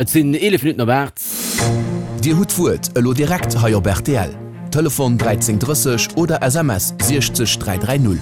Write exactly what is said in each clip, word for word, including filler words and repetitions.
Et sinn eelef Minutten op aacht. Dir hutt d'Wuert elo direkt hei op rtl. Telefon dräizéng drësseg oder S M S siechzeg dräi dräi null.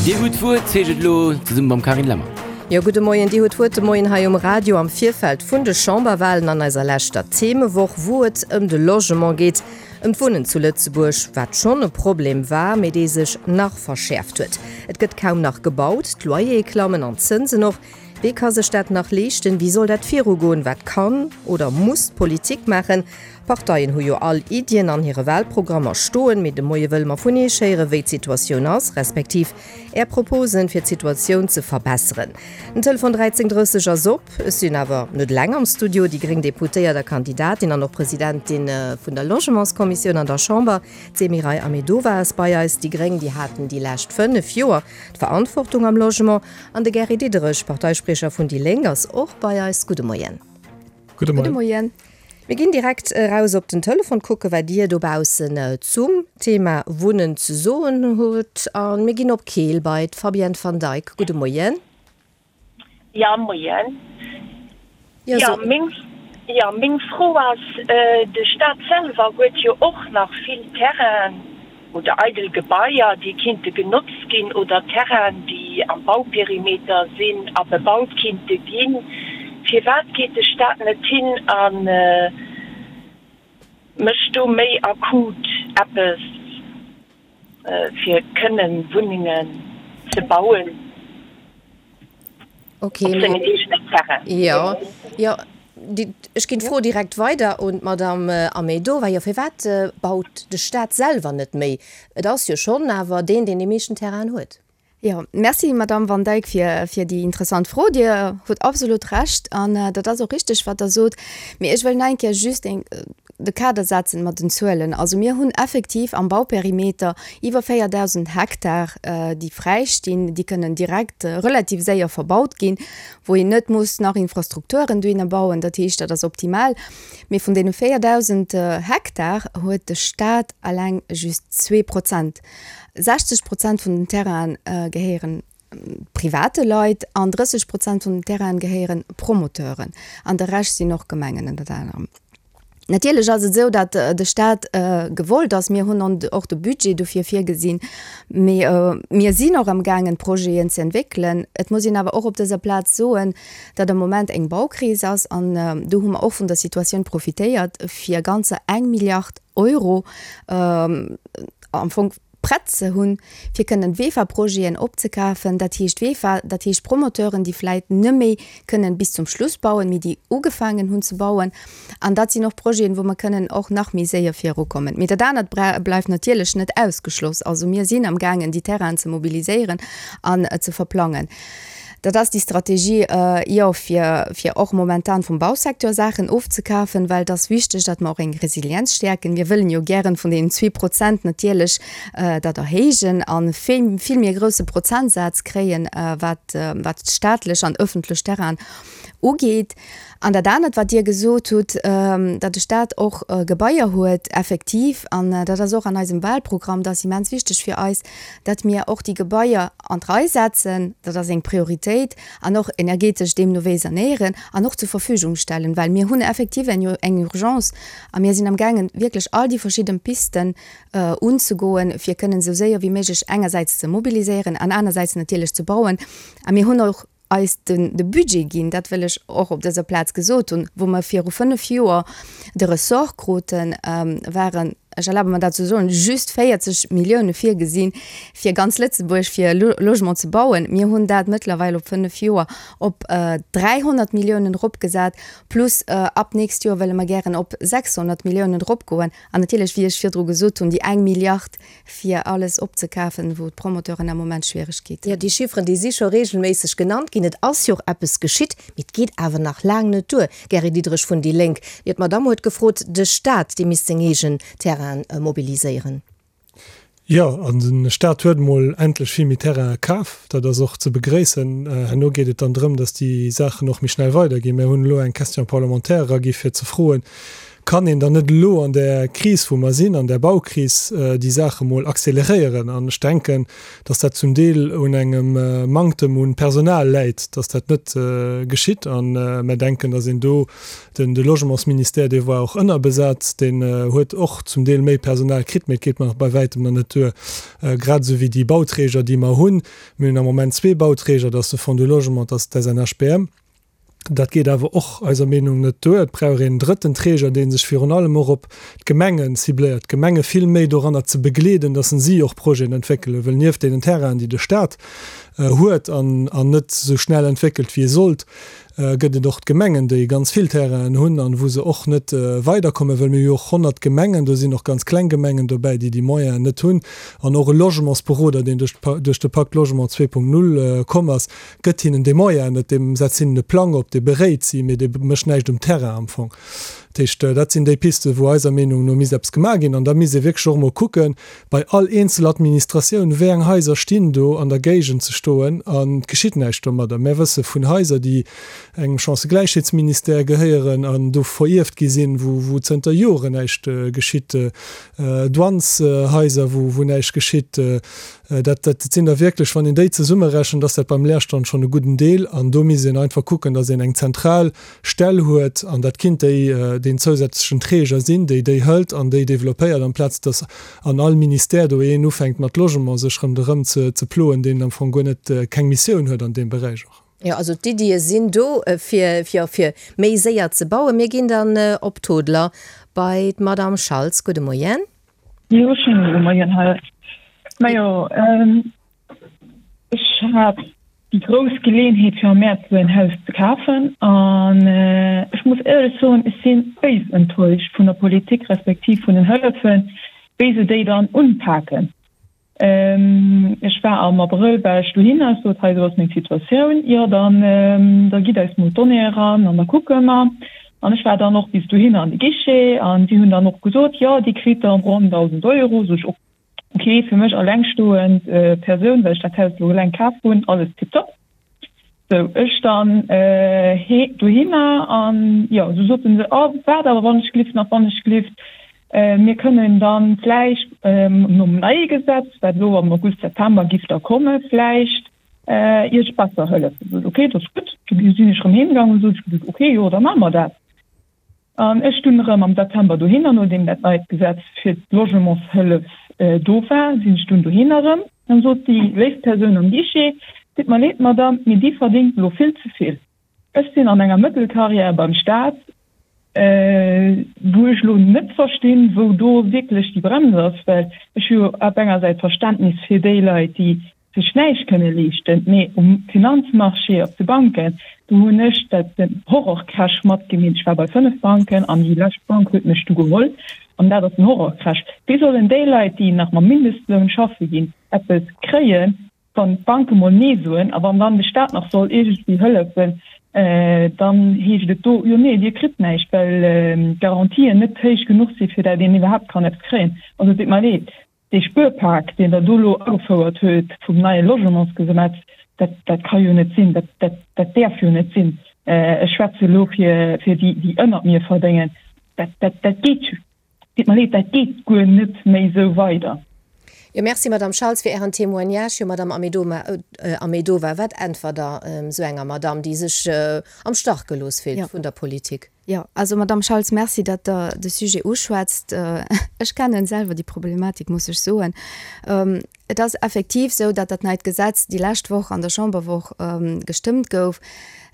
Dir hutt d'Wuert heescht et elo zesumme mam Carine Lemmer. Jo, gudde Moien. Dir hutt d'Wuert de Moien hei um Radio am Virfeld vun de Chamberwahlen an eiser leschter Themewoch, wou et ëm de Logement geet, ëm d'Wunnen zu Lëtzebuerg, wat schonn e Problem war, mee dee sech nach verschäerft huet. Et gëtt kaum nach gebaut, d'Loyere klammen an d'Zënsen och. Wee ka sech dat nach leeschten? Wéi soll dat virugoen? Wat kann oder muss d'Politik maachen? D'Parteien hu jo all Iddien an hire Wahlprogrammer stoen, mee de Moie wëlle mer vun Iech héieren, wéi d'Situatioun ass, respektiv Är Proposen, fir d'Situatioun ze verbesseren. Den Telefon dräizéng drësseg ass op. Ech sinn awer net eleng am Studio. Déi gréng Deputéiert a Kandidatin an och Presidentin vun der Logementskommissioun an der Chamber, d'Semiray Ahmedova ass bei eis. Déi gréng, déi haten déi lescht fënnef Joer d'Verantwortung am Logement. An de Gary Diderich, Parteispriecher vun déi Lénk, ass och bei eis. Gudde Moien. Gudde Moien. Gudde Moien. Mir ginn direkt eraus op den Telefon, kucke wat Dir dobaussen zum Thema Wunnen ze soen hutt. A mir ginn op Keel bei d'Fabienne van Dijk. Gudde Moien. Ja, Moien. Jo, meng, jo, meng Fro ass, de Staat selwer huet jo och nach vill Terrainen oder eidel Gebaier, déi kinnte genotzt ginn, oder Terrainen, déi am Bauperimeter sinn a bebaut kinnte ginn. Firwat geet de Staat net hin a mécht do méi akut eppes, fir kënnen Wunnengen ze bauen op sengen eegenen Terrain? Jo, jo, ech ginn d'Fro direkt weider un d'Madame Ahmedova. Jo, firwat baut de Staat selwer net méi? Et ass jo schonn awer deen, deen déi meeschten Terrainen huet. Jo, merci Madame Van Dijk fir, fir déi interessant Fro. Dir hutt absolut Recht an dat ass och richteg, wat Der sot. Mee ech wëll nach eng Kéier just eng, de Kader setzen mat den Zuelen. Also mir hunn effektiv am Bauperimeter iwwer véierdausend Hektar, déi fräi stinn, déi kënnen direkt relativ séier verbaut ginn, wou een net muss nach Infrastrukturen dohinner bauen. Dat heescht, dat ass optimal. Mee vun deene véierdausend Hektar huet de Staat eleng just zwee Prozent. sechzeg Prozent vun den Terrainen gehéieren private Leit an drësseg Prozent vun den Terrainen gehéieren Promoteuren an de Rescht sinn och Gemengen ënnert anerem. Natierlech ass et esou, datt de Staat gewollt ass, mir hunn och de Budget dofir virgesinn, mee mir sinn och amgaangen Projeten ze entwéckelen. Et muss een awer och op dëser Plaz soen, datt am Moment eng Baukris ass an do hu mer och vun der Situatioun profitéiert, fir ganzer eng Milliard Euro am Fong prett ze hunn, fir kënnen VEFA-Projeten opzekafen. Dat heescht VEFA, dat heescht Promoteuren, déi vläit net méi kënnen bis zum Schluss bauen, mee déi ugefaangen hunn ze bauen. An dat sinn och Projeten, wou mer kënnen och nach méi séier virukommen. Mee dat anert bleift natierlech net ausgeschloss. Also mir sinn amgaangen, déi Terrainen ze mobiliséieren an ze verplangen. Dat ass déi Strategie, jo, fir, fir och momentan vum Bausecteur Saachen ofzekafen, well et ass wichteg, datt mer och eng Resilienz stäerken. Mir wëllen jo gären vun deenen zwee Prozent natierlech dat erhéijen a vill, vill méi e grousse Prozentsaz kréien, wat, wat staatlech an öffentlech Terrainen ugeet. An dat anert, wat Dir gesot hutt, datt de Staat och Gebaier huet, effektiv, an dat ass och an eisem Wahlprogramm, dat ass immens wichteg fir eis, datt mir och déi Gebaier an d'Rei setzen, dat ass eng Prioritéit, an och energetesch deemno wéi sanéieren an och zur Verfügung stellen, well mir hunn effektiv eng Urgence a mir sinn amgaangen, wierklech all déi verschidden Pisten unzegoen, fir kënnen esou séier wéi méiglech engersäits ze mobiliséieren an anersäits natierlech ze bauen. A mir hunn och eis den de Budget ginn, dat wëll ech och op dëser Plaz gesot hunn, wou mer viru fënnef Joer de Ressort kruten, waren, ech erlabe mer dat ze soen, just véierzeg Millioune virgesinn, fir ganz Lëtzebuerg fir Logement ze bauen. Mir hunn dat mëttlerweil op fënnef Joer op dräihonnert Milliounen eropgesat, plus ab d'nächst Joer wëlle mer gären op sechshonnert Milliounen eropgoen. An natierlech, wéi ech virdru gesot hunn, déi eng Milliard fir alles opzekafen, wou d'Promoteuren am Moment Schwieregkeeten hunn. Jo, déi Chifferen, déi si scho reegelméisseg genannt ginn. Et ass jo och eppes geschitt, mee et geet awer nach laang net duer. Gary Diderich vun déi Lénk, Jo, d'Madamm huet gefrot, de Staat, dee misst seng eegen Terrainen mobiliséieren. Jo, an de Staat huet emol endlech vill méi Terrainen kaf. Dat ass och ze begréissen. Herno geet et dann drëm, datt déi Saachen och méi schnell weiderginn. Mir hunn elo eng Question parlementaire eragi fir ze froen, Kann een dann net elo an där Kris, wou mer sinn, an där Baukris, déi Saache mol acceleréieren? An ech denken, dass dat zum Deel un engem Manktem un Personal läit, dass dat net geschitt. A mer denken, dass een do, den de Logementsministère, dee war och ënnerbesat, deen huet och zum Deel méi Personal kritt, mee et geet mer nach bei wäitem nach net duer, grad esou wéi déi Bauträger, déi mer hunn. Mir hunn am Moment zwee Bauträger, dat ass de Fonds du Logement, dat ass d'SNHBM. Dat geet awer och eiser Meenung net duer. Et brauch een drëtten Träger, dee sech virun allem och op d'Gemengen cibléiert, d'Gemenge vill méi doranner ze begleeden, dass si och Projeten entwéckelen, well nieft deenen Terrainen, déi de Stat huet an net esou schnell entwéckelt, wéi e sollt, gëtt et och d'Gemengen, déi ganz vill Terrainen hunn an wou se och net weiderkommen, well mir hu jo och honnert Gemengen, do sinn och ganz kleng Gemengen dobäi, déi déi Moyenen net hunn. An och e Logementsberoder, deen duerch duerch de Pacte Logement zwee Punkt null komm ass, gëtt hinnen dee Moyen net, deem setzt hinnen e Plang op, dee beréit si, mee dee mécht näischt um Terrain am Fong. Dat heescht, dat sinn déi Pisten, wou eiser Meenung no misst eppes gemaach ginn. An da misst ee wierklech och emol kucken, bei all eenzel Administratioun, wéi eng Haiser stinn do an der Géigend ze stoen an et geschitt näischt domadder. Mär wësse vun Haiser, déi engem Chancëgläichheetsministère gehéieren an do verierft gi sinn, wou, wou zënter Joren näischt geschitt, Douaneshaiser, wou, wou näischt geschitt. Dat, dat sinn der wierklech, wann een déi zesummerechent, ass dat beim Leerstand schonn e gudden Deel. An do misst een einfach kucken, datt een eng zentral Stell huet, an dat kinnt déi, deen zousätzlechen Träger sinn, déi déi hëlt an déi développéiert, amplaz datt an all Ministère do een ufänkt mat Logement sech ronderëm ze, ze ploen, deen am Fong guer net, keng Missioun huet an deem Beräich och. Jo, also d'Iddie sinn do, fir, fir, fir méi séier ze bauen. Mir ginn dann op Toodler bei d'Madame Schaltz. Gudde Moien. Jo, schéine gudde Moien hei. Majo, ech hat déi grouss Geleeënheet fir am Mäerz esou en Haus ze kafen an ech muss éierlech soen, ech si béis enttäuscht vun der Politik respektiv vun den Hëllefen, wéi se déi dann unpaken. Ech war am Abrëll war ech dohinner, ech sot, hei esou ass meng Situatioun, jo dann da gitt eis mol d'Donnéeë eran an da kucke mer. An ech war dann och bis dohinner an de Guichet an si hunn dann och gesot, jo Dir kritt dann ronn dausend Euro. Sot ech, ok, fir mech allengstoend Persoun, well ech dat Haus elo eleng kaf hunn, alles tiptop. Sou, ech dann dohinner an jo, du soten se, oh waart awer wannechgelift nach, wannechgelift, mir kënnen dann vläicht nom neie Gesetz, wat elo am August, September giff da komme vläicht Iech besser hëllefen. Sot, ok, dat ass gutt. Du sinn ech erëm heem gaangen, sot ech gesot, ok, jo, da maache mer dat. An ech dunn erëm am September dohinner, nodeem dat neit Gesetz fir d'Logementshëllef do war, sinn ech dunn dohinner erëm. Dann sot déi léif Persoun am Guichet, Ditt mer leed, Madame, mee Dir verdéngt elo vill ze vill. Ech sinn an enger Mëttelcarrière beim Staat, wou ech elo net verstinn, wou do wierklech déi Brems ass, well ech hu jo op enger Säit Verständnis fir déi Leit, déi sech näischt kënne leeschten, mee um Finanzmarché, op de Banken, do hunn ech dat den Horrorcrash matgemeet. Ech war bei fënnef Banken an déi lescht Bank huet mech du geholl an dat ass den Horrorcrash. Wéi sollen déi Leit, déi nach mam Mindestloun schaffe ginn, eppes kréien, wann d'Banke mol Nee soen a wann dann de Staat nach soll iergendwéi hëllefen, dann heescht et do, jo nee, Dir kritt näischt, well d'Garantien net héich genuch si fir dat een iwwerhaapt kann eppes kréien. Also et deet mer leed. Dee Spuerpak, deen Der do elo agefouert huet vum neie Logementsgesetz, dat, dat ka jo net sinn, dat, dat, dat däerf jo net sinn. Ech schwätze elo fir, fir déi, déi ënnert mir verdéngen. Dat, dat, dat geet, deet mer leed, dat geet guer net méi esou weider. Jo, merci, Madame Schaltz, fir Ären Témoignage. Jo, Madame Ahmedova, wat äntwert Der esou enger Madame, déi sech am Stach gelooss fillt vun der Politik? Jo, also Madamm Schaltz, Merci, datt Der de Sujet uschwätzt. Ech kennen selwer déi Problematik, muss ech soen. Et ass effektiv esou, datt dat neit Gesetz déi lescht Woch an der Chamberwoch gestëmmt gouf.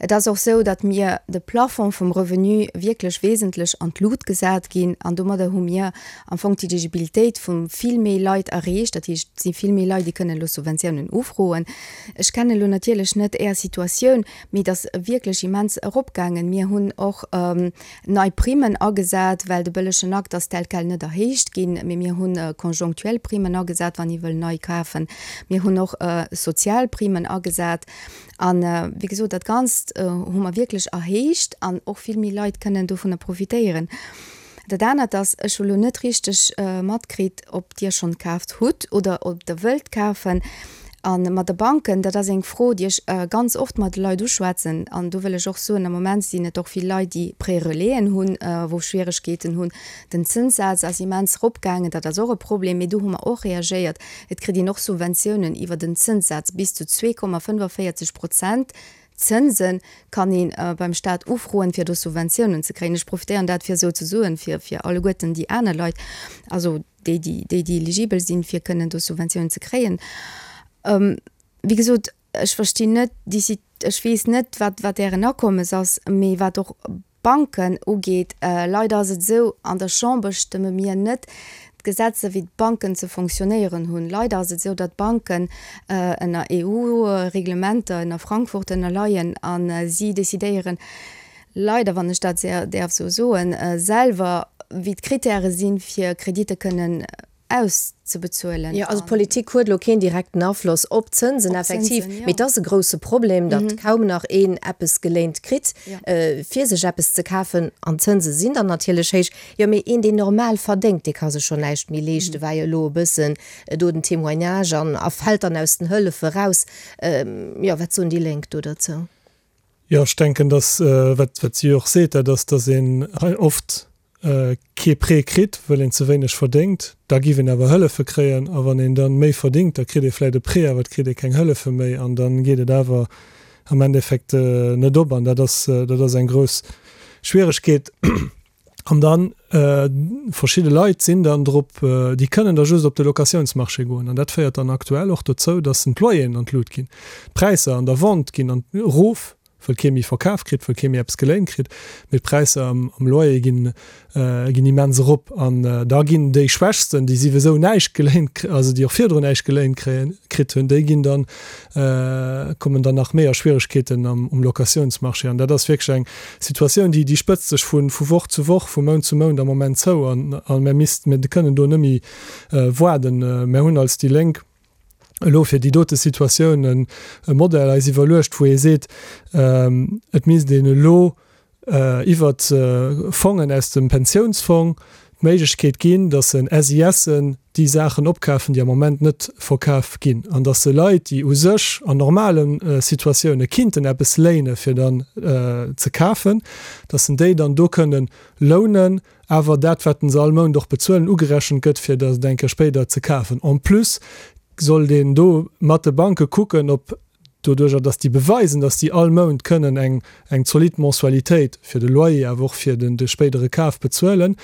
Et ass och esou, datt mir de Plafond vum Revenu wierklech wesentlech an d'Lut gesat ginn. An domadder hu mir am Fong d'Eligibilitéit vu vill méi Leit erreecht. Dat heescht, et si vill méi Leit, déi kënnen elo Subventiounen ufroen. Ech kennen elo natierlech net Är Situatioun, mee et ass wierklech immens eropgaangen. Mir hunn och nei Primmen agesat, well de bëllegen Akt ass tel quel net erhéicht ginn, mee mir hu conjonctuel Primmen agesat, wann ee wëll nei kafen. Mir hunn och sozial Primmen agesat. An, wéi gesot, dat Ganzt hu mer wierklech erhéicht an och vill méi Leit kënnen dovunner profitéieren. Dat anert ass, ech hu lo net richteg matkritt, ob Dir schonn kaaft hutt oder ob Der wëllt kafen. A mat de Banken, dat ass eng Fro, déi ech ganz oft mat de Leit uschwätzen. An do wëll ech och soen, am Moment sinn et och vill Leit, déi Prêts-relaisen hunn, wou Schwieregkeeten hunn. Den Zënssaz ass immens eropgaangen, dat ass och e Problem, mee do hu mer och reagéiert. Et kritt een och Subventiounen iwwer den Zënssaz, bis zu zwee Komma fënnefenvéierzeg Prozent Zënse kann ee beim Staat ufroen, fir do Subventiounen ze kréien. Ech profitéieren dat, fir esou ze soen, fir fir alleguerten déi aner Leit, also déi, déi, déi, déi eligibel sinn, fir kënnen do Subventiounen ze kréien. Wéi gesot, ech verstinn net déi, ech weess net, wat, wat Ären Akommes ass, mee wat och d'Banken ugeet, leider ass et esou, an der Chamber stëmme mir net d'Gesetzer, wéi d'Banken ze fonctionnéieren hunn. Leider ass et esou, datt d'Banken ënner EU-Reglementer, ënner Frankfurt ënnerleien a si decidéieren, leider, wann ech dat däerf esou soen, selwer, wéi d'Kritäre sinn, fir Kreditte kënnen auszebezuelen. Jo, also d'Politik huet elo keen direkten Afloss op d'Zënsen, effektiv, mee et ass e grousse Problem, datt kaum nach een eppes geléint kritt, fir sech eppes ze kafen, an d'Zënse sinn dann natierlech héich. Jo, mee een, deen normal verdéngt, dee ka sech schonn näischt méi leeschten, war jo elo e bëssen do den Témoignage an a fält dann aus den Hëllefe raus. Jo, wat soen déi Lénk do derzou? Jo, ech denken, datt, wat wat si och seet, dat ass, datt een hei oft kee Prêt kritt, wëll een ze wéineg verdéngt. Da giff een awer Hëllefe kréien. A wann een dann méi verdéngt, da kritt ee vläit e Prêt, awer et kritt ee keng Hëllefe méi. An da geet et awer am Endeffekt net op. An dat ass, dat ass eng grouss Schwieregkeet. An dann, verschidde Leit sinn dann drop, déi kënnen da just op de Locatiounsmarché goen. An dat féiert dann aktuell och dozou, dass d'Loyeren an d'Lut ginn. D'Präisser an der Vente ginn an erof, wëll kee méi verkaf kritt, wëll kee méi eppes geléint kritt, mee d'Präisser am am Loyer ginn ginn immens erop an da ginn déi Schwächsten, déi siwesou näischt geléint, also déi och virdrun näischt geléint kréien, kritt hunn, déi ginn dann, kommen dann nach méi a Schwieregkeeten am um Locatiounsmarché. An dat ass wierklech eng Situatioun, déi déi spëtzt sech vu vu Woch zu Woch, vu Mount zu Mount am Moment zou an a mir misst, mir kënnen do net méi waarden. Mir hunn als déi Lénk elo fir déi dote Situatioun e Modell eis iwwerluecht, wou ee seet, et misst een elo iwwert Fongen aus dem Pensiounsfong d'Méiglechkeet ginn, datt en SISen déi Saachen opkafen, déi am Moment net verkaf ginn, an datt se Leit, déi u sech an normale Situatioune kinnten eppes léine fir dann ze kafen, datt en déi dann do kënnen lounen, awer dat, wat se all Mount och bezuelen, ugerechent gëtt, fir dat eng Kéier spéider ze kafen. En plus sollt een do mat de Banke kucken, ob doduerjer, datt déi beweisen, datt déi all Mount kënnen eng eng zolidd Mensualitéit fir de Loyer, awer och fir den de spéidere Kaf bezuelen,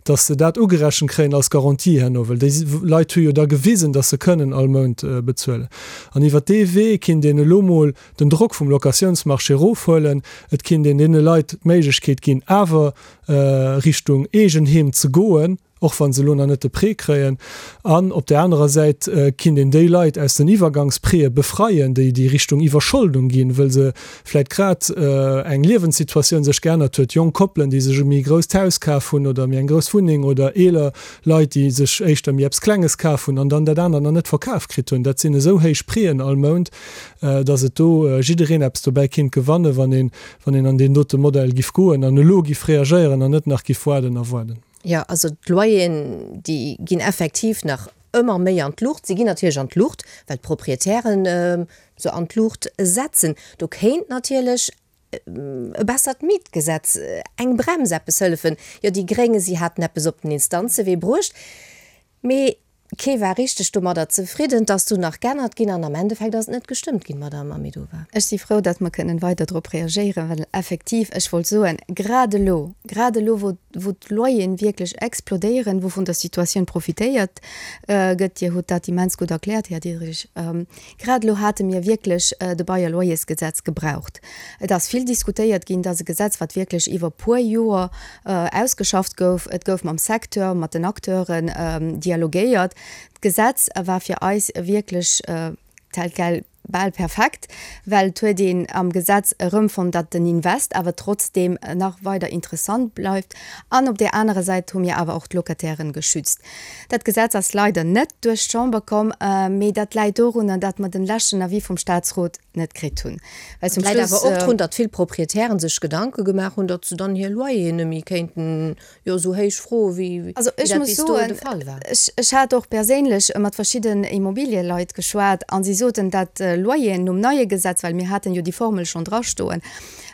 datt se dat ugerechent kréien als Garantie herno, well déi Leit hu jo da gewisen, datt se kënnen all Mount bezuelen. An iwwert dee Wee kinnt een elo mol den Drock vum Locatiounsmarché erofhuelen, et kinnt een deene Leit d'Méiglechkeet ginn, awer Richtung Eegenheem ze goen, och wa se elo nach net de Prêt kréien, an op där anerer Säit kinnt een déi Leit aus den Iwwergangsprêtë befreien, déi déi Richtung Iwwerscholdung ginn, wëll se vläicht grad eng Liewenssituatioun sech geännert huet, jonk Koppelen, déi sech e méi grousst Haus kaf hunn oder méi eng grouss Wunneng oder eeler Leit, déi sech éischter méi eppes Klenges kaf hunn an dann dat anert nach net verkaf kritt hunn. Dat sinn esou héich Prêten all Mount, datt et do jiddereen eppes dobäi kinnt gewannen, wann een wann een an deen dote Modell giff goen an elo giff reagéieren an net nach giff waarden a waarden. Jo, also d'Loyeren, déi ginn effektiv nach ëmmer méi an d'Luucht. Si ginn natierlech an d'Luucht, well d'Proprietären se an d'Luucht setzen. Do kéint natierlech e bessert Mietgesetz, eng Brems, eppes hëllefen. Jo, déi Gréng, si haten eppes op den Instanzewee bruecht, mee Kee war richteg domadder zefridden. Et ass dunn nach g'ännert ginn an am Endeffekt ass et net gestëmmt ginn, Madamm Ahmedova. Ech si frou, datt mer kënnen weider drop reagéieren, well effektiv, ech wollt soen, grad elo, grad elo, wou, wou d'Loyeren wierklech explodéieren, wou vun der Situatioun profitéiert gëtt, Dir hutt dat immens gutt erkläert, Här Diderich, grad elo hate mir wierklech de Bail-à-loyers-Gesetz gebraucht. Et ass vill diskutéiert ginn. Et ass e Gesetz, wat wierklech iwwer puer Joer ausgeschafft gouf. Et gouf mam Secteur, mat den Acteuren dialogéiert. D'Gesetz war fir eis wierklech tel quel bal perfekt, well et huet een am Gesetz erëmfonnt, datt den Invest awer trotzdeem nach weider interessant bleift. An op där anerer Säit hu mir awer och d'Locatairen geschützt. Dat Gesetz ass leider net duerch d'Chamber komm, mee dat läit dorunner, datt mer den leschten Avis vum Statsrot net kritt hunn. Well zum Läit awer och drun, datt vill Proprietären sech Gedanke gemaach hunn, datt se dann hir Loyeren net méi kéinten, jo, esou héich froen, wéi Also ech dat muss bis dohin soen, de Fall war. ech, ech hat och perséinlech mat verschidden Immobilieleit geschwat a si soten, datt d'Loyeren nom neie Gesetz, well mir haten jo déi Formel schonn drastoen,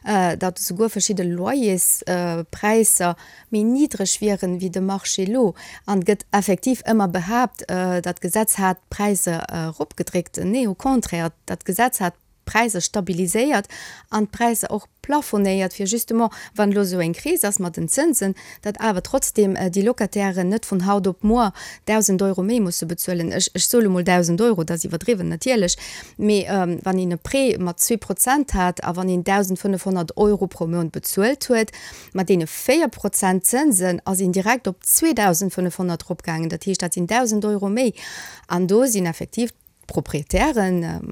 datt esouguer verschidde Loyerspräisser méi niddreg wieren wéi de Marché elo. An et gëtt effektiv ëmmer behaapt, dat Gesetz hat d'Präisser eropgedréckt. Nee, au contraire, dat Gesetz hat d'Präisser stabiliséiert an d'Präisser och plafonéiert, fir justement, wann elo esou eng Kris ass mat den Zënsen, datt awer trotzdeem déi Locatairen net vun haut op muer dausend Euro méi musse bezuelen. Ech, ech soe lo mol dausend Euro, dat ass iwwerdriwwen natierlech, mee wann een e Prêt mat zwee Prozent hat a wann een dausendfënnefhonnert Euro pro Mount bezuelt huet, mat deene véier Prozent Zënsen ass een direkt op zweedausendfënnefhonnert eropgaangen. Dat heescht, dat sinn dausend Euro méi. An do sinn effektiv d'Proprietären,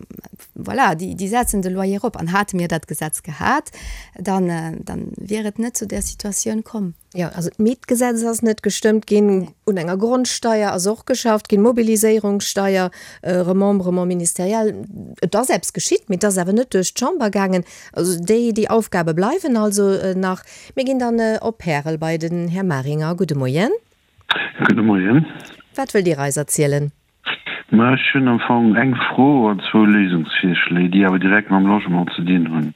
voilà, déi, déi setzen de Loyer erop. An hate mir dat Gesetz gehat, dann, dann wier et net zu där Situatioun komm. Jo, also d'Mietgesetz ass net gestëmmt ginn, un enger Grondsteier ass och geschafft ginn, Mobiliséierungssteier, Remembrement ministériel, et ass eppes geschitt, mee et ass awer net duerch d'Chamber gaangen. Also déi, déi Aufgabe bleiwen also nach. Mir ginn dann op Pärel bei den Här Maringer. Gudde Moien. Gudde Moien. Wat wëllt Dir eis erzielen? Ma ech hunn am Fong eng Fro an zwou Léisungsvirschléi, déi awer direkt mam Logement ze dinn hunn.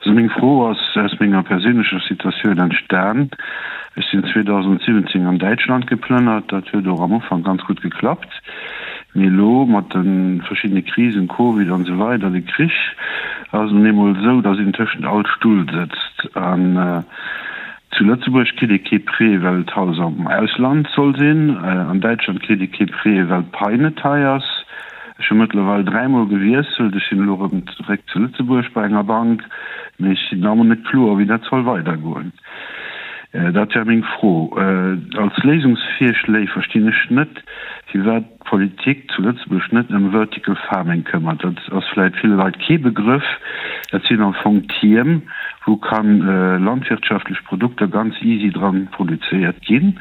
Also meng Fro ass aus menger perséinlecher Situatioun entstan. Ech sinn zweedausendsiwwenzéng an Däitschland geplënnert. Dat huet och am Ufank ganz gutt geklappt. Mee elo mat de verschiddene Krisen, Covid an esou weider, de Krich, ass et nun eemol esou, datt een tëschent all Stull sëtzt. An Zu Lëtzebuerg kritt ee kee Prêt, well d'Haus am Ausland soll sinn. An Däitschland kritt ee kee Prêt, well d'Pai net hei ass. Ech hu mëttlerweil dräimol gewiesselt. Ech sinn elo erëm zeréck zu Lëtzebuerg bei enger Bank, mee ech sinn nach ëmmer net kloer, wéi dat soll weidergoen. Dat wär meng Fro. Als Léisungsvirschléi verstinn ech net, firwat d'Politik zu Lëtzebuerg net ëm Vertical Farming këmmert. Dat ass vläit ville Leit kee Begrëff. Dat sinn am Fong Tierm, wou ka landwirtschaftlech Produkter ganz easy dran produzéiert ginn.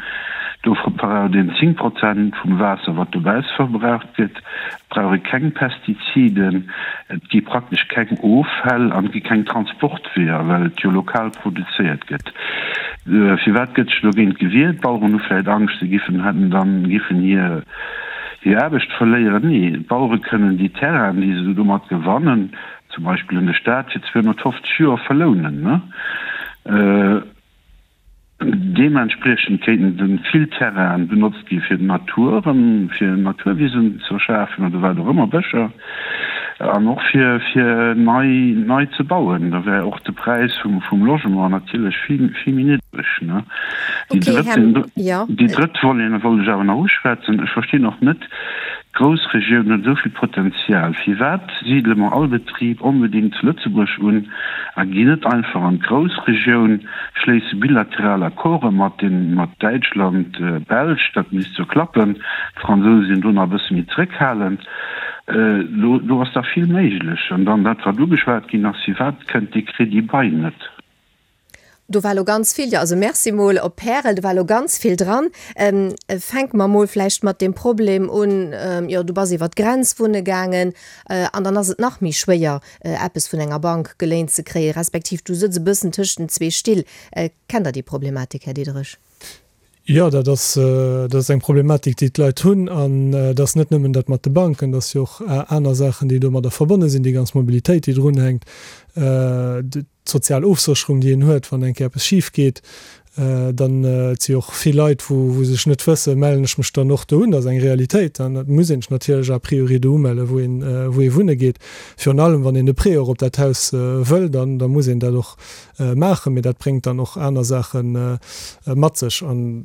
Do verbraucht een zéng Prozent vum Waasser, wat dobausse verbraucht gëtt. Et brauch ee keng Pestiziden, et gi praktesch keng Offäll an et gi keng Transportweeër, well et jo lokal produzéiert gëtt. Firwat gëtt sech dogéint gewiert? D'Baueren hu vläit Angscht, se giffen hätten dann giffen hir hir Aarbecht verléieren. Nee, d'Bauere kënnen déi Terrainen, déi se domat gewannen, zum Beispill un de Staat, fir zweehonnertfofzeg Joer verlounen. Deementspriechend kéinten de vill Terrainen benotzt gi fir d'Natur erëm, fir Naturwisen ze schafen oder wat och ëmmer, Bëscher, an och fir fir nei nei ze bauen. Da wär och de Präis vum vum Logement natierlech vill vill méi niddreg, ne? Déi Okay, drëtt Här, den jo. déi drëtt Volet wollt ech awer nach uschwätzen. Ech verstinn och net, d'Groussregioun huet esou vill Potenzial, firwat sidele mer all Betrib onbedéngt zu Lëtzebuerg un a ginn net einfach an d'Groussregioun, schléisse bilateral Accorde mat den mat Däitschland, Belsch, dat misst jo klappen, d'Fransouse sinn do nach e bësse méi zréckhalend. Do do ass dach vill méiglech. An dann dat, wat ugeschwat ginn ass, Firwat kënnt dee Crédit bail net? Do war elo ganz vill, jo, also Merci mol op Pärel, do war elo ganz vill dran. Fänke mer mol vläicht mat deem Problem un, jo, du bass iwwer d'Grenz wunne gaangen an dann ass et nach méi schwéier, eppes vun enger Bank geléint ze kréien, respektiv du sëtz e bëssen tëscht den zwee Still. Kennt Der déi Problematik, Här Diderich? Jo, dat ass, dat ass eng Problematik, déi d'Leit hunn. An et ass net nëmmen dat mat de Banken, et ass jo och aner Saachen, déi domadder verbonne sinn, déi ganz Mobilitéit, déi drunhänkt, d'sozial Ofsécherung, déi een huet, wann eng Kéier eppes schif geet. Dann, et si och vill Leit, wou, wou sech net wëssen, mellen ech mech dann och do un. Dat ass eng Realitéit. An et muss een sech natierlech a priori do umellen, wou een, wou ee wunne geet. Virun allem, wann een e Prêt och op dat Haus wëll, dann, da muss een dat och maachen, mee dat bréngt dann och aner Saache mat sech. An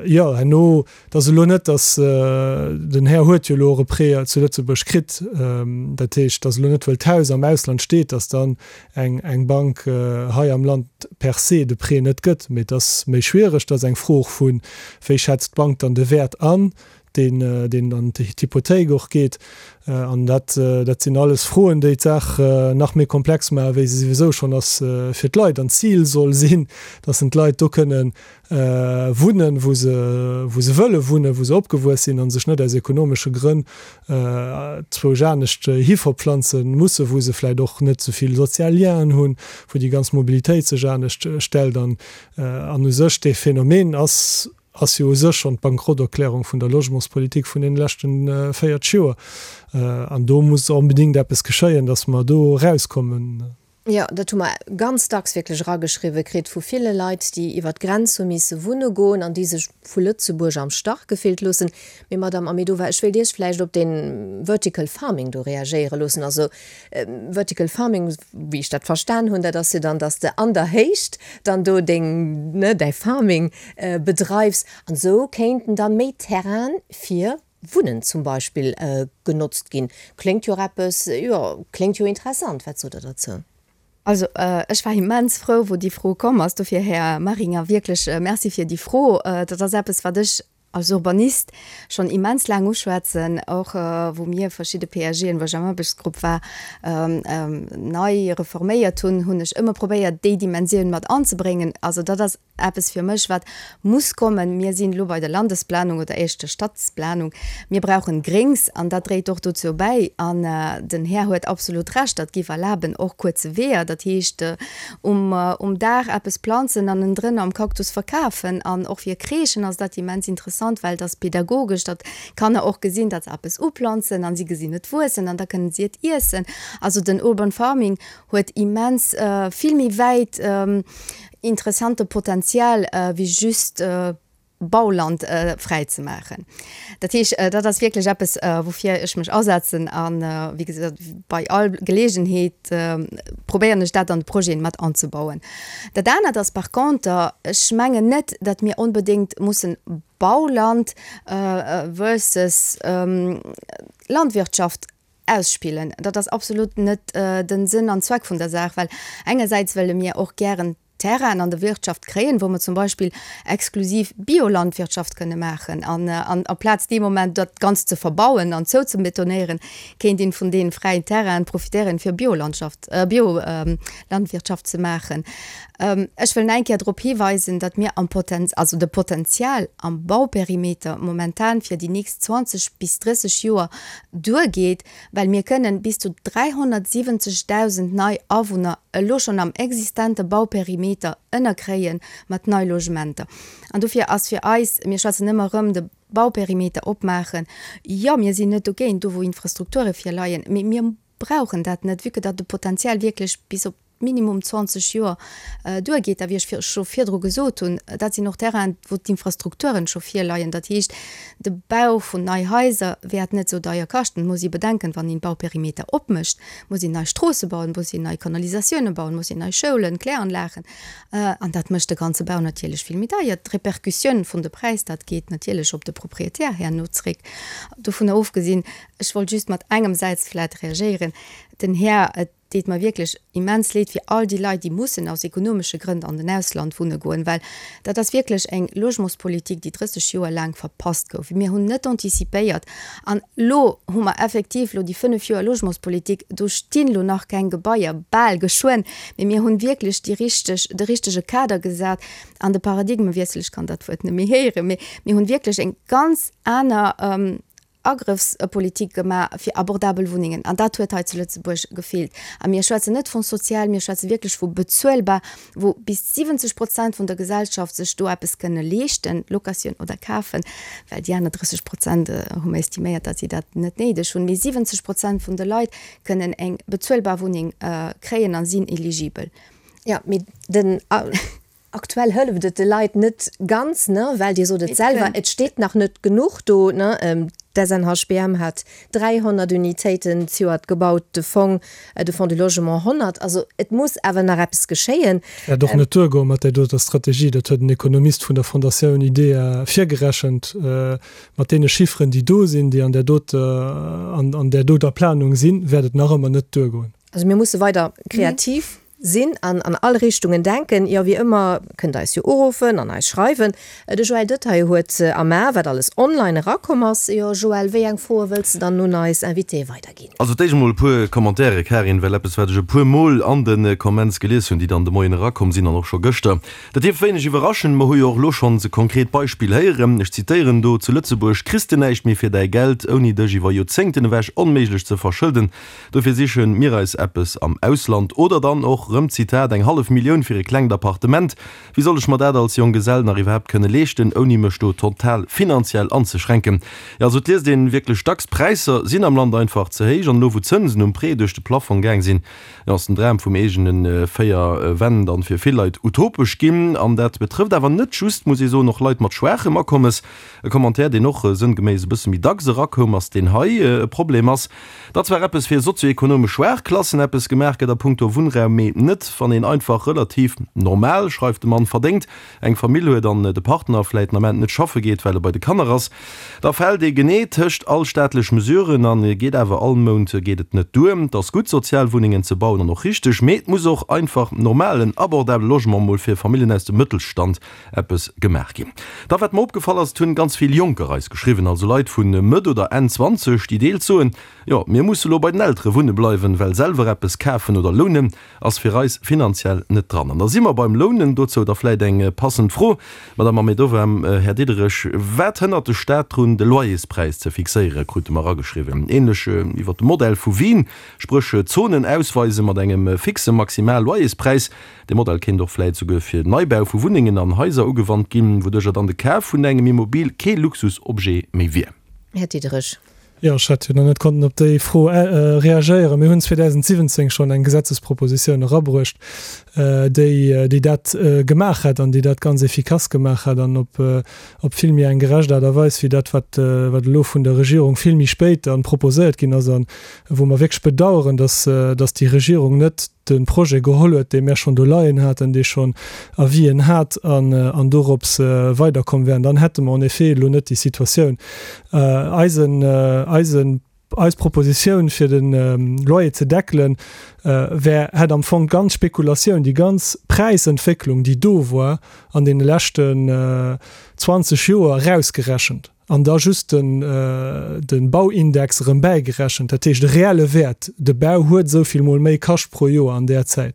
jo, herno, et ass elo net, datt, den Här huet jo elo och e Prêt zu Lëtzebuerg kritt, dat heescht, et ass elo net, wëll d'Haus am Ausland steet, datt dann eng eng Bank hei am Land per se de Prêt net gëtt. Mee et ass méi schwiereg, et ass eng Fro och vu wéi schätzt d'Bank dann de Wäert an. deen, deen an d'Hypothéik och geet. An dat, dat sinn alles Froen, déi d'Saach nach méi komplex maachen, wéi se souwisou schonn ass fir d'Leit. An d'Zil soll sinn, dass en d'Leit do kënnen wunnen, wou se, wou se wëlle wunnen, wou se opgewuess sinn a sech net aus ekonomesche Grënn zwousch anescht hiverpflanze mussen, wou se vläicht och net esou vill sozial Lienen hunn, wou déi ganz Mobilitéit sech anescht stellt. An, an u sech dee Phänomen ass, ass jo u sech schonn d'Bankrotterklärung vun der Logementspolitik vun deene leschte véierzeg Joer. An do muss onbedéngt eppes geschéien, dass mer do erauskommen. Jo, dat hu mer ganz dacks wierklech erageschriwwe kritt vu ville Leit, déi iwwer d'Grenz hu misse wunne goen an déi sech vu Lëtzebuerg am Stach gefillt loossen. Mee Madamm Ahmedova, ech wéilt Iech vläicht op dee Vertical Farming do reagéiere loossen. Also Vertical Farming, wéi ech dat verstan hunn, dat ass jo dann, dass de an der Héicht dann do deng, ne, däi Farming bedreifs. An esou kéinten da méi Terraine fir Wunnen zum Beispill genotzt ginn. Kléngt jo och eppes, jo, kléngt jo interessant. Wat sot Der derzou? Also, ech war immens frou, wou déi Fro komm ass. Dofir, Här Maringer, wierklech Merci fir déi Fro. Dat ass eppes, wat ech als Urbanist schonn immens laang uschwätzen, och wou mir verschidde PAGen, wou ech am Aarbechtsgrupp war, nei reforméiert hunn, hunn ech ëmmer probéiert, déi Dimensioun mat anzebréngen. Also dat ass eppes fir mech, wat muss kommen. Mir sinn elo bei der Landesplanung oder éischter Stadsplanung. Mir brauchen Gréngs an dat dréit och dozou bäi. An den Här huet absolut Recht, dat géif erlaben och kuerze Weeër, dat heescht um um Daach eppes planzen an ënnendrënner am Cactus verkafen. An och fir Crèchen ass dat immens interessant, well et ass pedagogesch, datt d'Kanner och gesinn, datt se eppes uplanzen an si gesinn et wuessen an da kënnen si et iessen. Also den Urban Farming huet immens vill méi wäit interessante Potenzial wéi just Bauland fräi ze maachen. Dat heesch, dat ass wierklech eppes, woufir ech mech asetzen a wéi gesot, bei all Geleegenheet probéieren ech dat an de Projeten mat anzebauen. Dat anert ass par conter, ech mengen net, datt mir onbedéngt mussen Bauland versus Landwirtschaft ausspillen. Dat ass absolut net den Sënn an Zweck vun der Saach, well engersäits wëlle mir och gären Terrainen an der Wirtschaft kréien, wou mer zum Beispill exklusiv Biolandwirtschaft kënne maachen. An amplaz dee Moment dat Ganzt ze verbauen an zouzebetonéieren, kéint een vun deene fräien Terrainen profitéieren, fir Biolandschaft, Biolandwirtschaft ze maachen. Ech wëll nach eng Kéier drop hiweisen, datt mir am Poten, also de Potenzial am Bauperimeter momentan fir déi nächst zwanzeg bis drësseg Joer duergeet, well mir kënnen bis zu dräihonnertsiwwenzegdausend nei Awunner elo schonn am existente Bauperimeter ënnerkréie mat nei Logementer. An dofir ass fir eis, mir schwätzen ëmmer erëm de Bauperimeter opmaachen, jo, mir sinn net dogéint, do wou Infrastrukture virleien, mee mir brauchen dat net, vue que datt de Potenzial wierklech bis op minimum zwanzeg Joer duergeet. A wéi ech scho virdru gesot hunn, dat sinn och Terrainen, wou d'Infrastrukturen scho virleien. Dat heescht, de Bau vun nei Haiser wäert net esou deier kaschten. Et muss ee bedenken, wann een Bauperimeter opmécht, muss een nei Stroosse bauen, muss een nei Kanalisatiounen bauen, muss een nei Schoulen, Kläranlagen. An dat mécht de ganze Bau natierlech vill méi deier. D'Repercussioun vun de Präis, dat geet natierlech op de Proprietär herno zréck. Dovunner ofgesinn, ech wollt just mat engem Säiz vläicht reagéieren, den Här, et deet mer wierklech immens leed fir all déi Leit, déi mussen aus ekonomesche Grënn an den Ausland wunne goen, well dat ass wierklech eng Logementspolitik, déi drësseg Joer laang verpasst gouf. Mir hunn net antizipéiert an elo hu mer effektiv elo déi fënnef Joer Logementspolitik, do stinn elo nach keng Gebaier, bal, geschwënn, mee mir hunn wierklech déi richteg, de richtege Kader gesat an de Paradigmewiessel, ech kann dat Wuert net méi héieren, mee mir hunn wierklech eng ganz aner Agrëffspolitik gemaach fir abordabel Wunnengen. An dat huet hei zu Lëtzebuerg gefeelt. A mir schwätzen net vun sozial, mir schwätze wierklech vu bezuelbar, wou bis siwwenzeg Prozent vun der Gesellschaft sech do eppes kënne leeschten, Locatioun oder kafen, well déi aner drësseg Prozent hu mer estiméiert, datt si dat net néideg hunn. Mee siwwenzeg Prozent vun de Leit kënnen eng bezuelbar Wunneng kréien a sinn eligibel. Jo, mee den. Aktuell hëlleft et de Leit net ganz, ne, well Dir sot et selwer, et steet nach net genuch do, ne. D'SNHBM hat dräihonnert Unitéiten zejoert gebaut, de Fong, de Fonds du Logement honnert. Also et muss awer nach eppes geschéien. Wäert och net duergoen mat där doter Strategie. Dat huet en Ekonomist vun der Fondatioun IDEA virgerechent. Mat deene Chifferen, déi do sinn, déi an där doter, an där doter Planung sinn, wäert et nach ëmmer net duergoen. Also mir musse weider kreativ sinn an an all Richtungen denken. Jo, wéi ëmmer kënnt der eis jo uruffen an eis schreiwen. De Joël Detaille huet am A, wat alles online erakomm ass. Jo, Joël, wéi eng Froe wëlls de dann un eis Invitée weiderginn? Also d'éischt emol e puer Commentaire, Karin, well eppes, wat ech e puer Mol an de Comments gelies hunn, déi dann de Moien erakomm sinn an och scho gëschter, dat dierf wéineg iwwerraschen. Mer hu jo och elo schonns e konkret Beispill héieren. Ech zitéieren do, Zu Lëtzebuerg kriss de näischt méi fir däi Geld, ouni dech iwwer Joerzéngten ewech onméiglech ze verschëlden. Dofir siche mir eis eppes am Ausland. Oder dann och rëm, Zitat, Eng hallef Millioun fir e klengt Appartement, wéi soll ech mer dat als Jonggesell nach iwwerhaapt kënne leeschten, ouni mech do total finanziell anzeschränken? Jo, also et liest een wierklech dacks, d'Präisser sinn am Land einfach ze héich. An elo wou d'Zënsen um Prêt duerch de Plafong gaang sinn, jo, ass den Dram vum eegene véier Wänn dann fir vill Leit utopesch ginn. An dat betrëfft awer net just, muss ee soen, och Leit mat schwaachem Akommes. E Commentaire, deen och sënngeméiss e bësse méi dacks erakoum, ass deen hei, E Problem ass, datt zwar eppes fir sozioekonomesch schwaach Klassen eppes gemaach gëtt a punkto Wunnraum, mee net wann een einfach relativ normal, schreift de Mann, verdéngt, eng Famill huet an de Partner vläit den Ament net schaffe geet, well e bei de Kanner ass. Da fält ee genee tëscht all staatlech Mesuren an geet awer all Mount geet et net duer. Et ass gutt Sozialwunnengen ze bauen an och richteg, mee et muss och einfach normalen, abordabele Logement mol fir Familljen aus dem Mëttelstand eppes gemaach ginn. Da wat mer opgefall ass, et hunn ganz vill Jonker eis geschriwwen, also Leit vu Mëtt oder Enn zwanzeg, déi deels soen, Jo, mir musse lo bei den Eltere wunne bleiwen, well selwer eppes kafen oder lounen ass fir eis finanziell net dran. An da si mer beim Lounen. Dozou da vläit eng passend Fro, Madame Ahmedova, Här Diderich, Wat hënnert de Staat drun, de Loyerspräis ze fixéieren, krute mer erageschriwwen, ähnlech iwwer de Modell vu Wien, spréch Zonen ausweise mat engem fixe Maximal-Loyerspräis. Dee Modell kéint och vläit souguer fir Neibau vu Wunnengen an Haiser ugewannt ginn, wouduercher dann de Kaf vun engem Immobil kee Luxusobjet méi wier. Här Diderich. Jo, ech hätt jo nach net konnten op déi Fro reagéieren. Mir hunn zweedausendsiwwenzéng schonn eng Gesetzespropositioun erabruecht, déi, déi dat gemaach hätt an déi dat ganz efficace gemaach hätt an op, op vill méi eng gerecht Aart a Weis wéi dat, wat, wat elo vun der Regierung vill méi spéit dann proposéiert ginn ass a wou mer wierklech bedauern, dass, dass déi Regierung net de Projet geholl huet, dee mär schonn do leien haten, dee schonn Avisen hat an, an dorops weiderkomm wären, dann hätte mer en effet elo net déi Situatioun. Eisen, eisen, eis Propositioun, fir de Loyer ze deckelen, wär, hätt am Fong d'ganz Spekulatioun, déi ganz Präisentwécklung, déi do war an deene leschten zwanzeg Joer, erausgerechent. An da just de Bauindex erëm bäigerechent, dat heescht e reelle Wäert, de Bau huet esou vill mol méi kascht pro Joer an där Zäit.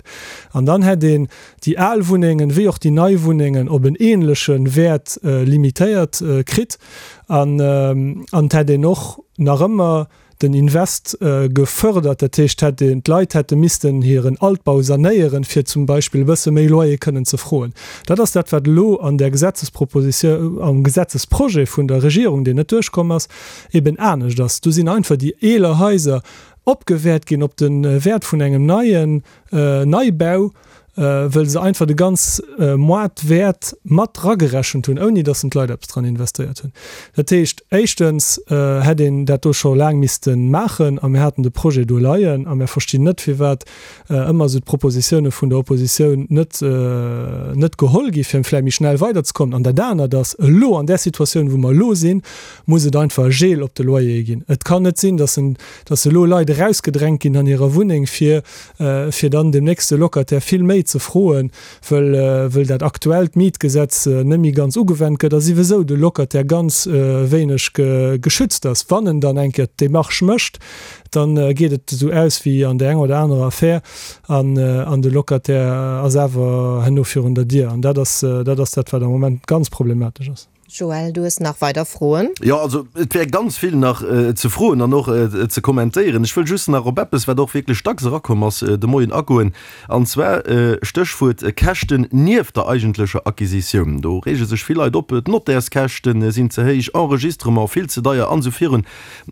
An dann hätt een déi al Wunnengen wéi och déi nei Wunnengen op en ähnleche Wäert limitéiert kritt. An et hätt een och nach ëmmer den Invest gefördert, dat heescht hätt een, d'Leit hätte missten hiren Altbau sanéieren, fir zum Beispill e bësse méi Loyer kënnen ze froen. Dat ass dat, wat elo an där Gesetzespropositioun, am Gesetzesprojet vun der Regierung, deen net duerchkomm ass, eben anescht ass. Do sinn einfach déi eeler Haiser opgewäert ginn op de Wäert vun engem neien Neibau, wëll se einfach de ganz Moartwäert mat dragerechent hunn, ouni datt en d'Leit eppes dran investéiert hunn. Dat heescht, éischtens hätt een dat do scho laang misste maachen a mir haten de Projet do leien a mir verstinn net, firwat ëmmer esou d'Propositioune vun der Oppositioun net net geholl gi fir vläicht méi schnell weiderzekommen. An dat anert ass, elo an där Situatioun, wou mer elo sinn, muss et einfach e Gel op de Loyere ginn. Et kann net sinn, datt en datt elo Leit erausgedrängt ginn an hirer Wunneng, fir fir dann dem nächste Locataire vill méi ze froen, wëll wëll dat aktuellt Mietgesetz net méi ganz ugewennt gëtt a siwesou de Locataire ganz wéineg geschützt ass. Wann en dann eng Kéier d'Demarche mécht, dann geet et esou aus wéi an där enger oder anerer Affär an an de Locataire ass awer herno virun der Dier. An dat ass dat ass dat, wat am Moment ganz problematesch ass. Joël, du hues nach weider Froen? Jo, also et wär ganz vill nach ze froen an och ze kommentéieren. Ech wëll just nach op eppes, wat och wierklech dacks erakomm ass de Moien, agoen, an zwar Stéchwuert Käschten nieft der eigentlecher Acquisitioun. Do reege sech vill Leit op, d'Nottärskäschte sinn ze héich, Enregistrement vill ze deier an esou virun.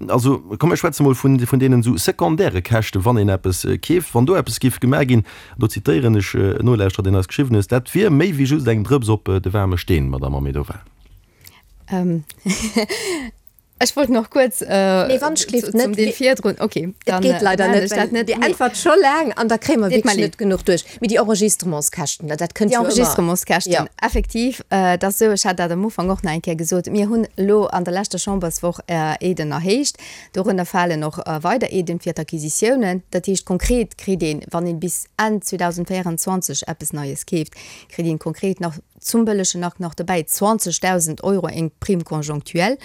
Also komm mir schwätze mol vun deenen esou secondaire Käschten, wann een eppes keeft, wann do eppes géif gemaach ginn, do zitéieren ech en Nolauschterer, deen eis geschriwwen huet, dat wier méi wéi just eng Drëps op de waarme Steen, Madamm Ahmedova. Ech wollt nach kuerz Nee, wann ech gleeft net. zum dee virdrun. Okay, Et geet leider net, well Dir äntwert scho laang an da kréie mer wierklech net genuch duerch. Mee déi Enregistrementskäschten, dat kënnt jo ëmmer. Déi Enregistrementskäschten, effektiv, et ass esou, ech hat dat am Ufank och nach eng Kéier gesot, mir hunn elo an der leschter Chamberswoch Aiden erhéicht. Dorënner falen och weider Aiden fir d'Acquisitiounen. Dat heescht, konkret kritt een, wann een bis Enn zweedausendvéierundzwanzeg eppes Neies keeft, kritt een konkret nach zum bëllegen Akt nach dobäi zwanzegdausend Euro eng Prime conjonctuelle.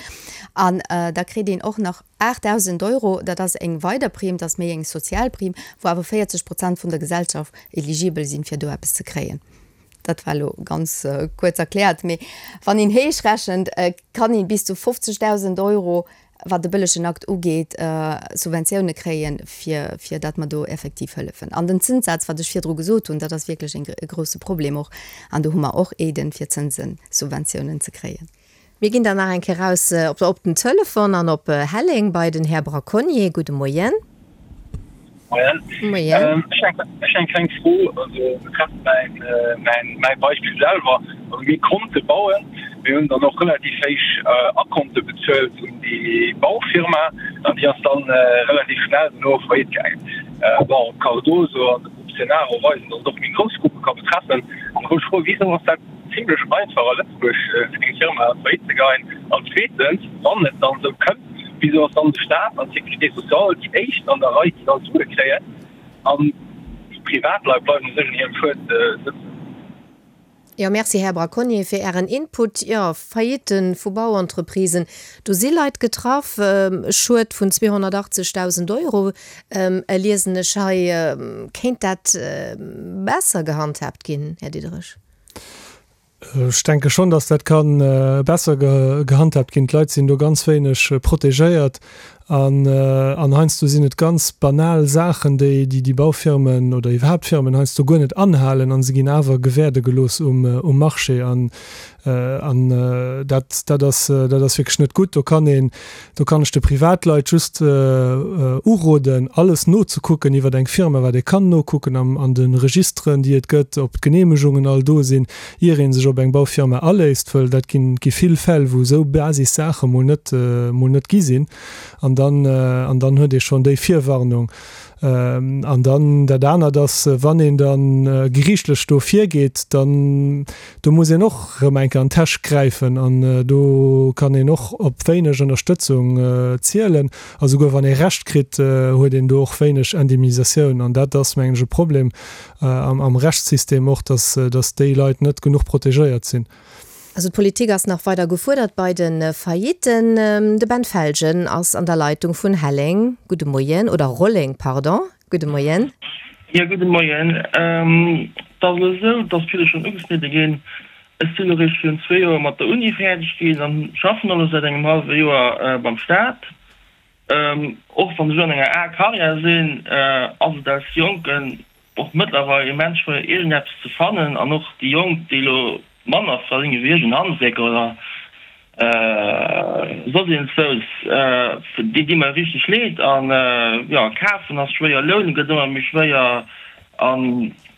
An da kritt een och nach aachtdausend Euro, dat ass eng weider Prime, dat ass méi eng sozial Prime, wou awer véierzeg Prozent vun der Gesellschaft eligibel sinn, fir do eppes ze kréien. Dat war elo ganz kuerz erkläert, mee wann een héich rechent, kann ee bis zu fofzegdausend Euro, wat de bëllegen Akt ugeet, Subventioune kréien, fir, fir datt mer do effektiv hëllefen. An den Zënssaz, wat ech virdru gesot hunn, dat ass wierklech e e grouse Problem och. An do hu mer och Aiden, fir Zënsen, Subventiounen ze kréien. Mir ginn dann nach eng Kéier raus op op den Telefon an op Helleng bei den Här Braconnier. Gudde Moien. Moien. Moien. Ech hu eng kleng Fro, also betreffend mäin, mäin, mäi Beispill selwer. Also mir konnte bauen, mir hunn dann och relativ héich Akonte bezuelt un déi Baufirma an déi ass dann relativ schnell dono faillite gaangen. Bon, Cardoso an de Groupe Cenaro weisen, datt et och méi grouss Gruppe ka betreffen. An da wollt ech froen, Wisou ass dat zimlech einfach a Lëtzebuerg fir eng Firma faillite ze geien? An zweetens, wann et dann esou kënnt, Wisou ass dann de Staat an d'Sécurité sociale déi éischt an der Rei, déi dann d'Sue kréien, an déi Privatleit bleiwen u sech an hirem Schued sëtzen? Jo, merci, Här Braconnier, fir Ären Input. Jo, Faillitten vu Bauentreprisen, do si Leit getraff. E Schued vun zweehonnertachtzegdausend Euro liesen ech hei. Kéint dat besser gehandhaabt ginn, Här Diderich? Ech denke schonn, datt dat ka besser gehandhaabt ginn. D'Leit sinn do ganz wéineg protegéiert an heiansdo sinn et ganz banal Saachen, déi déi Baufirmen oder iwwerhaapt Firmen heiansdo guer net anhalen a se ginn awer gewäerde gelooss um Marché. An dat dat ass dat ass wierklech net gutt. Do kann een, do kann ech de Privatleit just uroden, alles nozekucken iwwer eng Firma, wat ee kann nokucken an de Registeren, déi et gëtt, ob d'Geneemegungen all do sinn, ier ee sech op eng Baufirma aléisst, wëll dat ginn, gi vill Fäll, wou esou Basissaache mol net, mol net gi sinn. An dann, an dann huet ee schonn déi Virwarnung. An dann dat anert ass, wann een da geriichtlech do virgeet, dann do muss een och erëm eng Kéier an d'Täsch gräifen an do kann een och op wéineg Ënnerstëtzung zielen. A souguer wann ee Recht kritt, huet een do och wéineg Indemnisatioun. An dat ass, mengen ech, e Problem am Rechtssystem och, dass, dass déi Leit net genuch protegéiert sinn. Also d'Politik ass nach weider gefuerdert bei de Faillitten. De Ben Felgen ass an der Leitung vun Helleng. Gudde Moien, oder Rolleng, pardon. Gudde Moien. Jo, gudde Moien. Et ass elo esou, dass vill schonn ugeschnidde ginn. Ech sinn elo réischt virun zwee Joer mat der Uni fäerdeg ginn an schaffen elo säit engem hallwe Joer beim Staat. Och wann ech elo an enger A Karriär sinn, ass et als Jonken och mëttlerweil immens schwéier iergendeppes ze fannen an och déi Jonk, déi elo manner verdénge wéi ech, en Handwierker oder soss iergendzwous, déi di mer richteg leed an jo, kafen ass schwéier, loune gëtt ëmmer méi schwéier an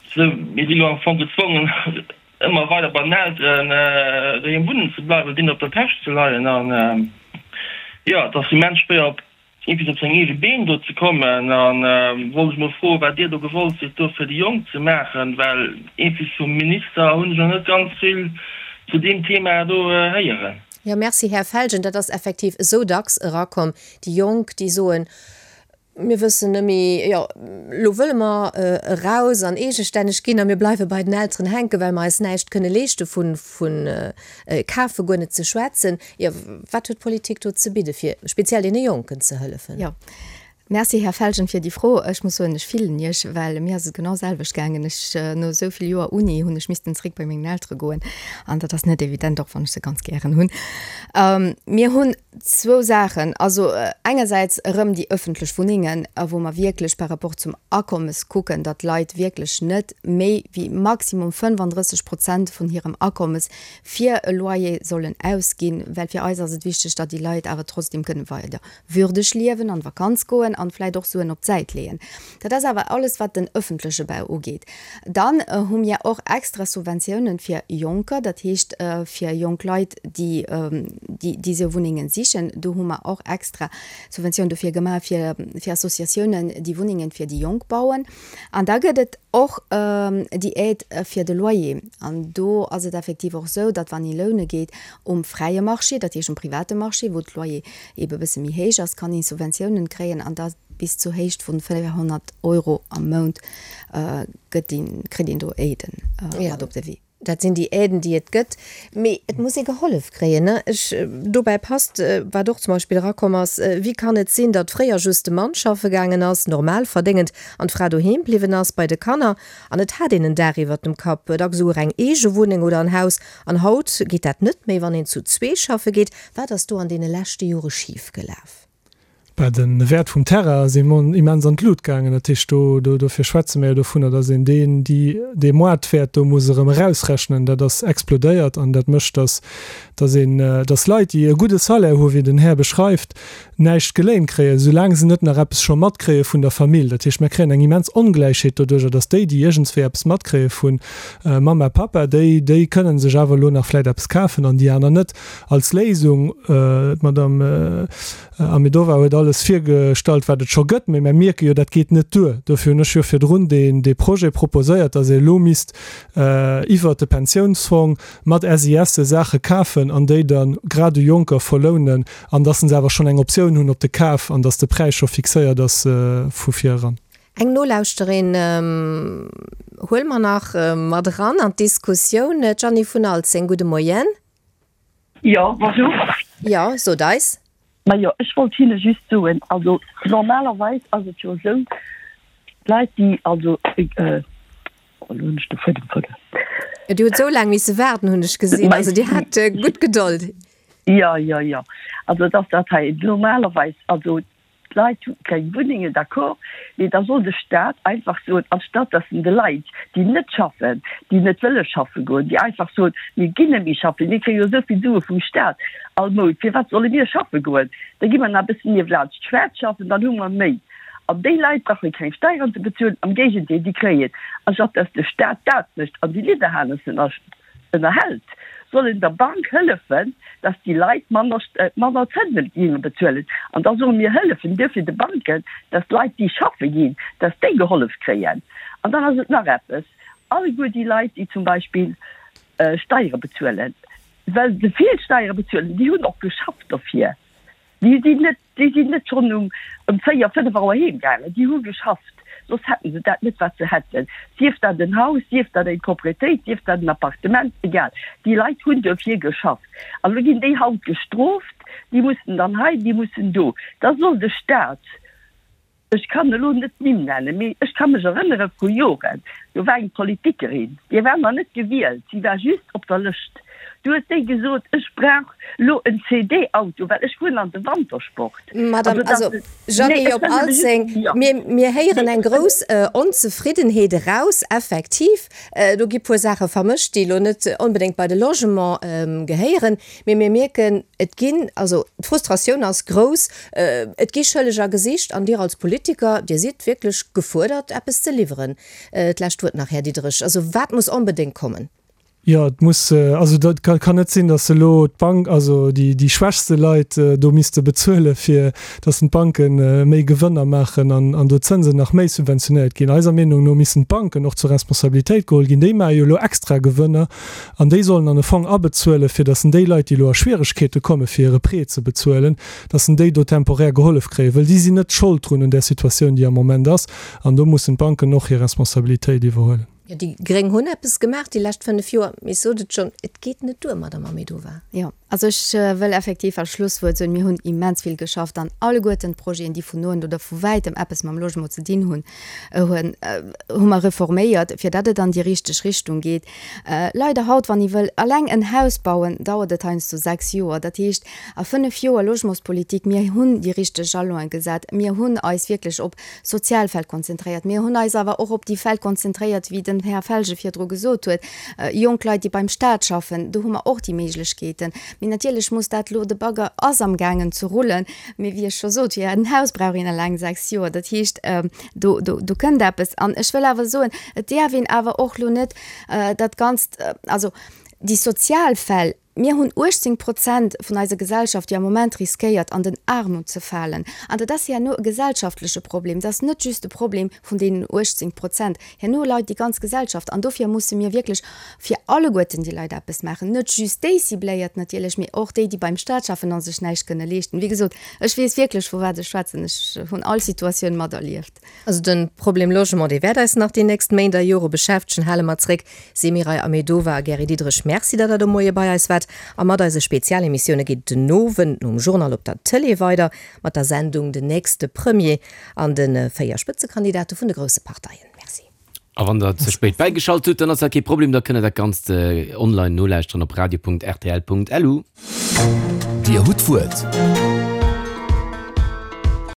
esou, mir si elo am Fong gezwongen ëmmer weider bei den Elteren doheem wunnen ze bleiwen, deenen op der Täsch ze leien an jo, et ass immens schwéier op iergendwéi op seng eege Been do ze kommen an wollt ech mol froen, wat Dir do gewollt sidd do fir déi Jonk ze maachen, well iergendwéi vum Minister hunn ech nach net ganz vill zu deem Thema do héieren. Jo, merci, Här Felgen. Dat ass effektiv esou dacks erakomm, déi Jonk, déi soen, Mir wëssen net méi, jo, elo wëlle mer eraus an eegestänneg ginn a mir bleiwe bei den Elteren hänken, well mer eis näischt kënne leeschte vu kafe guer net ze schwätzen. Jo, wat huet d'Politik do ze bidde fir speziell deene Jonken ze hëllefen? Jo, merci Här Felgen fir déi Fro. Ech muss soen, ech fillen Iech, well mir ass et genau selwecht gaangen. Ech, no esou vill Joer Uni hunn ech missten zréck bei mengen Eltere goen an dat ass net evident, och wann ech se ganz gären hunn. Mir hunn Zwou Saachen, also engersäits erëm déi ëffentlech Wunnengen, wou mer wierklech par rapport zum Akommes kucken, datt d'Leit wierklech net méi wéi maximum fënnefandrësseg Prozent vun hirem Akommes fir e Loyer sollen ausginn, well fir eis ass et wichteg, datt déi Leit awer trotzdem kënne weider würdeg liewen, an d'Vakanz goen an vläicht och Suen op d'Säit leeën. Dat ass awer alles, wat den ëffentleche Bau ugeet. Dann hu mir och extra Subventiounen fir Jonker, dat heescht fir jonk Leit, déi déi esou Wunnengen sichen. sichen. Do hu mer och extra Subventioun dofir gemaach fir, fir Associatiounen, déi Wunnengen fir déi Jonk bauen. An da gëtt et och déi Aide fir de Loyer. An do ass et effektiv och esou, datt wann ee loune geet um fräie Marché, dat heescht um private Marché, wou d'Loyer eebe e bësse méi héich ass, kann ee Subventiounen kréien an da bis zur Héicht vun véierhonnert Euro am Mount gëtt een, kritt een do Aiden mat op de Wee. Dat sinn déi Aiden, déi et gëtt. Mee et muss ee gehollef kréien, ne? Ech, dobäi passt, wat och zum Beispill erakomm ass, Wéi kann et sinn, datt fréier just de Mann schaffe gaangen ass, normal verdéngend, an d'Fra doheem bliwwen ass bei de Kanner, an et hat een en Daach iwwert dem Kapp, dacks esouguer eng eege Wunneng oder en Haus, an haut geet dat net méi, wann een zu zwee schaffe geet. Wat ass do an deene leschte Jore schifgelaf? Bah, de Wäert vum Terrain ass immens an d'Lut gaangen. Dat heescht, do, do, dofir schwätze mir jo dovunner, datt een deen, déi, dee Moartwäert do muss erëm erausrechnen. Dat ass explodéiert an dat mécht, datt, datt een, datt Leit, déi e gudde Salaire hu wéi den Här beschreift, näischt geléint kréien, soulaang se net nach eppes scho matkréie vun der Famill. Dat heescht, mir kréien eng immens Ongläichheet doduerjer, datt déi, déi iergendswéi eppes matkréie vu Mamma, Pappa, déi, déi kënnen sech awer elo nach vläicht eppes kafen an déi aner net. Als Léisung, d'Madame Ahmedova huet alles virgestallt, wat et scho gëtt, mee mer mierke jo, dat geet net duer. Dofir hunn ech jo virdrun deen, dee Projet proposéiert, datt ee elo misst iwwert de Pensiounsfong mat SISe Saache kafen an déi da grad u Jonker verlounen an datt se awer schonn eng Optioun hunn op de Kaf an datt de Präis scho fixéiert ass vu vir eran. Eng Nolauschterin huele mer nach mat eran an d'Diskussioun, d'Jeanny vun Alzeng. Gudde Moien. Jo, bonjour. Jo, sot eis. Majo, ech wollt hinne just soen, also normalerweis ass et jo esou, d'Leit, déi also, oh, elo hunn ech de Fuedem verluer. Dir hutt esou laang misse waarden, hunn ech gesinn. Also Dir hat gutt Gedold. Jo, jo, jo. Also et ass dat hei normalerweis, also d'Leit hu keng Wunnengen, d'accord, mee da soll de Staat einfach soen, anstatt datt en de Leit, déi net schaffen, déi net wëlle schaffe goen, déi einfach soen, mir ginn net méi schaffen, mir kréie jo esou vill Sue vum Staat all Mount, firwat solle mir schaffe goen, da gi mer nach e bëssen niewelaanscht schwaarz schaffen, dann hu mer méi. An déi Leit brauche keng Steieren ze bezuelen, am Géigendeel, déi kréien, anstatt datt de Staat dat mécht an déi Lidderhanessen ënnerhält, soll en der Bank hëllefen, dass déi Leit manner, manner Zënsen géinge bezuelen. An da soe mir, hëllefen duerfir de Banken, dass d'Leit, déi schaffe ginn, dass déi gehollef kréien. An dann ass et nach eppes, Alleguer déi Leit, déi zum Beispill Steiere bezuelen, well se vill Steiere bezuelen, déi hunn och geschafft dofir. Déi sinn net, déi sinn net schonn um ëm véier, fënnef Auer heem gaangen. Déi hu geschafft, soss hätten se dat net, wat se hätten. Sief dat en Haus, sief dat eng Proprietéit, sief dat en Appartement, egal. Déi Leit hunn dofir geschafft. An elo ginn déi haut gestrooft, déi mussen dann hei, déi mussen do. Da soll de Stat, ech kann elo net d'Nimm nennen, mee ech ka mech erënnere vru Joren, do war eng Politikerin, déi war nach net gewielt, si war just op der Lëscht, du huet déi gesot, ech brauch elo en CD-Auto, well ech fueren an de Wantersport. Madame, also Jeanny op Alzeng, mir, mir héieren eng grouss Onzefriddenheet eraus, effektiv. Do gi puer Saache vermëscht, déi elo net onbedéngt bei de Logement gehéieren, mee mir mierken, et ginn, also d'Frustratioun ass grouss, et gi Schëlleger gesicht an Dir als Politiker, Dir sidd wierklech gefuerdert, eppes ze liwweren. D'lescht Wuert nach, Här Diderich. Also wat muss onbedéngt kommen? Jo, et muss, also dat kann net sinn, datt elo d'Bank, also déi déi schwächste Leit do misste bezuelen, fir datt d'Banke méi Gewënner maachen an an do d'Zënsen nach méi subventionéiert ginn. Eiser Meenung no missten d'Banken och zur Responsabilitéit geholl ginn. Déi maache jo elo extra Gewënner an déi sollen an e Fong abezuelen, fir datt déi Leit, déi elo a Schwieregkeete komme fir hire Prêt ze bezuelen, datt déi do temporär gehollef kréien, wëll déi sinn net Schold drun un där Situatioun, déi am Moment ass. An do mussen d'Banken och hir Responsabilitéit iwwerhuelen. Jo, déi Gréng hunn eppes gemaach déi lescht fënnef Joer, mee ech sot et schonn, et geet net duer, Madame Ahmedova. Jo, also ech wëll effektiv als Schlusswuert soen, mir hunn immens vill geschafft an alleguerten d'Projeten, déi vun noent oder vu wäitem eppes mam Logement ze dinn hunn, hu mer reforméiert, fir datt et an déi richteg Richtung geet. Leider haut, wann ee wëll eleng en Haus bauen, dauert et heiansdo sechs Joer. Dat heescht, a fënnef Joer Logementspolitik, mir hunn déi richteg Jalon'e gesat, mir hunn eis wierklech op sozial Fäll konzentréiert. Mir hunn eis awer och op déi Fäll konzentréiert, wéi den Här Felge virdru gesot huet, jonk Leit, déi beim Stat schaffen, do hu mer och déi Méiglechkeeten. Mee natierlech muss dat elo, de Bagger ass amgaangen ze rullen, mee wéi ech scho sot, fir en Haus brauch een eleng sechs Joer. Dat heescht, do, do, do kënnt eppes. An ech wëll awer soen, et däerf een awer och elo net dat Ganzt, also déi sozial Fäll, Mir hunn uechtzéng Prozent vun eiser Gesellschaft, déi am Moment riskéiert, an den Aarmut ze falen. An dat ass herno e gesellschaftleche Problem. Dat ass net just e Problem vun deenen uechtzéng Prozent. Herno leit déi ganz Gesellschaft. An dofir musse mir wierklech fir alleguerten déi Leit eppes maachen, net just déi cibléiert natierlech, mee och déi, déi beim Staat schaffen a sech näischt kënne leeschten. Wéi gesot, ech weess wierklech, vu wat ech schwätzen. Ech hunn all Situatioun materlieft. Also de Problem Logement, dee wäert eis nach déi nächst Méint a Jore beschäftegen, hale mer zréck. Semiray Ahmedova a Gary Diderich, Merci, datt Der de Moie bei eis waart. A mat eise Spezialemissioune geet et den Owend nom Journal op der Tëlee weider mat der Sendung Den nächste Premier an de véier Spëtzekandidate vun de grousse Parteien. Merci. A wann der ze spéit bäigeschalt hutt, dann ass dat kee Problem, da kënnt der dat Ganzt online nolauschteren op radio.rtl.lu. Dir hutt d'Wuert.